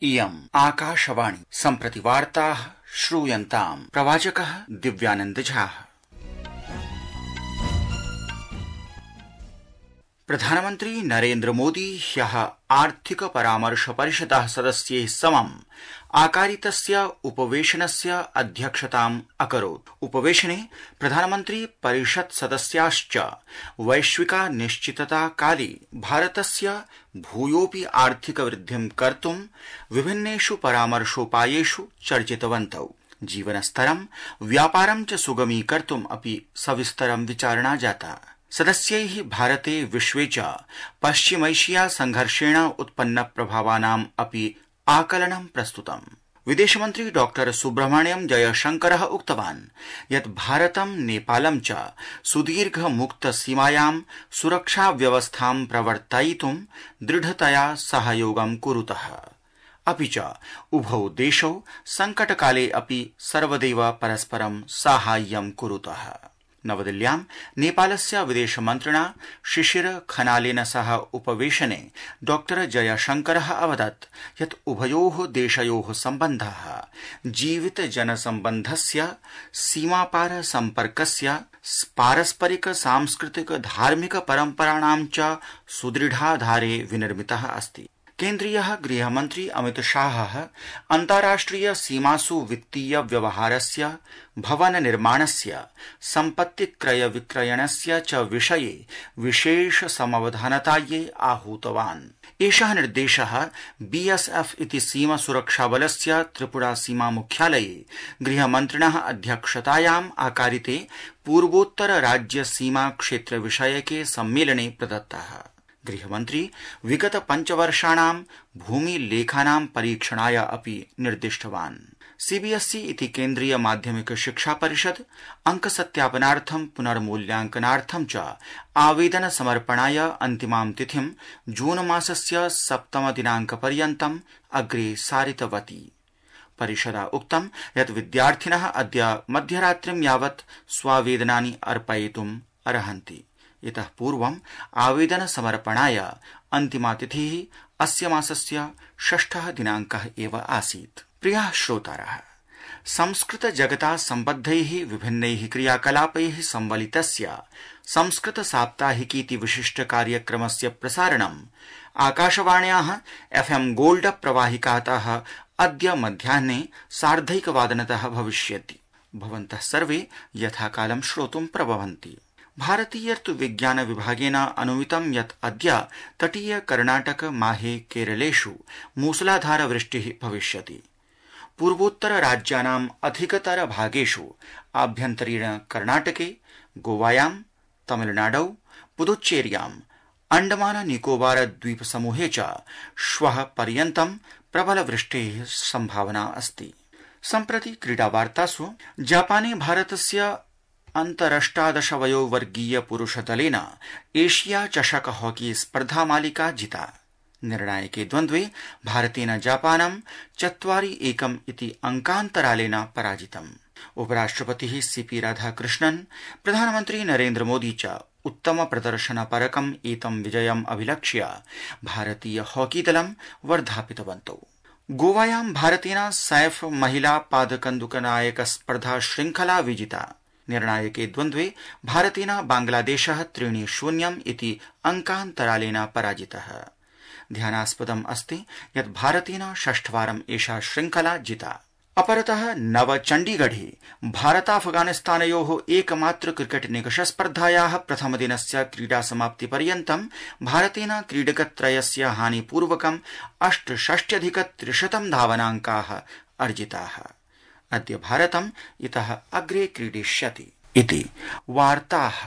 इयम् आकाशवाणी सम्प्रति वार्ताः श्रूयन्ताम् प्रवाचकः दिव्यानंद झा। प्रधानमन्त्री नरेन्द्र मोदी ह्यः आर्थिक परामर्श परिषदः सदस्यैः समम् आकारितस्य उपवेशनस्य अध्यक्षताम् अकरोत्। उपवेशने प्रधानमन्त्री परिषत् सदस्याश्च वैश्विका निश्चितता काले भारतस्य भूयोऽपि आर्थिक वृद्धिं कर्तुं विभिन्नेषु परामर्शोपायेषु चर्चितवन्तौ। जीवनस्तरं व्यापारं च सुगमीकर्तुम् अपि सविस्तरं विचारणा जाता। सदस्यैः भारते विश्वे च पश्चिमैशिया संघर्षेण उत्पन्न प्रभावानाम् अपि आकलनं प्रस्तुतम्। विदेशमन्त्री डॉ सुब्रह्मण्यम जयशंकरः उक्तवान् यत् भारतं नेपालं च सुदीर्घ मुक्त सीमायां सुरक्षा व्यवस्थां प्रवर्तयितुं दृढतया सहयोगं कुरुतः। अपि च उभौ देशौ संकटकाले अपि सर्वदैव परस्परं साहाय्यं कुरुतः। नवदिल्ल्यां नेपालस्य विदेशमन्त्रिणा शिशिर खनालेन सह उपवेशने डॉ जयशंकरः अवदत् यत् उभयोः देशयोः सम्बन्धः जीवित जनसम्बन्धस्य सीमापार सम्पर्कस्य पारस्परिक सांस्कृतिक धार्मिक परम्पराणां च सुदृढाधारे विनिर्मितः अस्ति। केन्द्रीयः गृहमन्त्री अमित शाहः अन्ताराष्ट्रिय सीमासु वित्तीय व्यवहारस्य भवन निर्माणस्य सम्पत्ति क्रय विक्रयणस्य च विषये विशेष समवधानतायै आहूतवान्। एषः निर्देशः बीएसएफ इति सीमा सुरक्षाबलस्य त्रिपुरा सीमा मुख्यालये गृहमन्त्रिणः अध्यक्षतायाम् आकारिते पूर्वोत्तर राज्य सीमा क्षेत्र विषयके सम्मेलने प्रदत्तः। गृहमन्त्री विगत 5 वर्षाणां भूमिलेखानां परीक्षणाय अपि निर्दिष्टवान्। सीबीएसई इति केन्द्रीय माध्यमिक शिक्षा परिषद अंकसत्यापनार्थं पुनर्मूल्यांकनार्थं च आवेदन समर्पणाय अन्तिमां तिथिं जून मासस्य 7 दिनाङ्कपर्यन्तम् अग्रे सारितवती। परिषदा उक्तं यत् विद्यार्थिनः अद्य मध्यरात्रिं यावत् स्वावेदनानि अर्पयितुम् अर्हन्ति। इतः पूर्वम् आवेदन समर्पणाय अन्तिमा तिथिः अस्य मासस्य 6 दिनाङ्कः एव आसीत्। प्रियाः श्रोतारः, संस्कृत जगता सम्बद्धैः विभिन्नैः क्रियाकलापैः संवलितस्य संस्कृत साप्ताहिकीति विशिष्ट कार्यक्रमस्य प्रसारणम् आकाशवाण्याः FM गोल्ड प्रवाहिकातः अद्य मध्याह्ने 1:30 भविष्यति। भवन्तः सर्वे यथाकालं श्रोतुं प्रभवन्ति। भारतीय ऋतुविज्ञान विभागेन अनुमितं यत् अद्य तटीय कर्णाटक माहे केरलेषु मूसलाधार वृष्टिः भविष्यति। पूर्वोत्तर राज्यानाम् अधिकतर भागेषु आभ्यन्तरीण कर्णाटके, गोवायां, तमिलनाडौ, पुदुच्चेर्याम्, अंडमान निकोबार द्वीप समूहे च श्वः पर्यन्तं प्रबल वृष्टेः सम्भावना अस्ति। सम्प्रति क्रीडावार्तासु जापाने भारतस्य अन्तरष्टादश वयोवर्गीय पुरुषदलेन एशिया चषक हॉकी स्पर्धामालिका जिता। निर्णायके द्वन्द्वे भारतेन जापानं 4-1 इति अंकान्तरालेन पराजितम्। उपराष्ट्रपतिः सीपी राधाकृष्णन्, प्रधानमन्त्री नरेन्द्र मोदी च उत्तम प्रदर्शनपरकम् एतं विजयम् अभिलक्ष्य भारतीय हॉकी दलं वर्धापितवन्तौ। गोवायां भारतेन सैफ महिला पादकन्दुकनायक स्पर्धा श्रृंखला विजिता। निर्णायके द्वन्द्वे भारतेन बांग्लादेशः 3-0 इति अंकान्तरालेन पराजितः। ध्यानास्पदम् अस्ति यत् भारतेन 6वारम् एषा श्रृंखला जिता। अपरतः नवचण्डीगढे भारताफगानिस्तानयोः एकमात्र क्रिकेट निकषस्पर्धायाः प्रथमदिनस्य क्रीडासमाप्तिपर्यन्तं भारतेन क्रीडकत्रयस्य हानिपूर्वकम् 68,300 धावनाङ्काः अर्जिताः। अद्य भारतम् इतः अग्रे क्रीडिष्यति इति वार्ताः।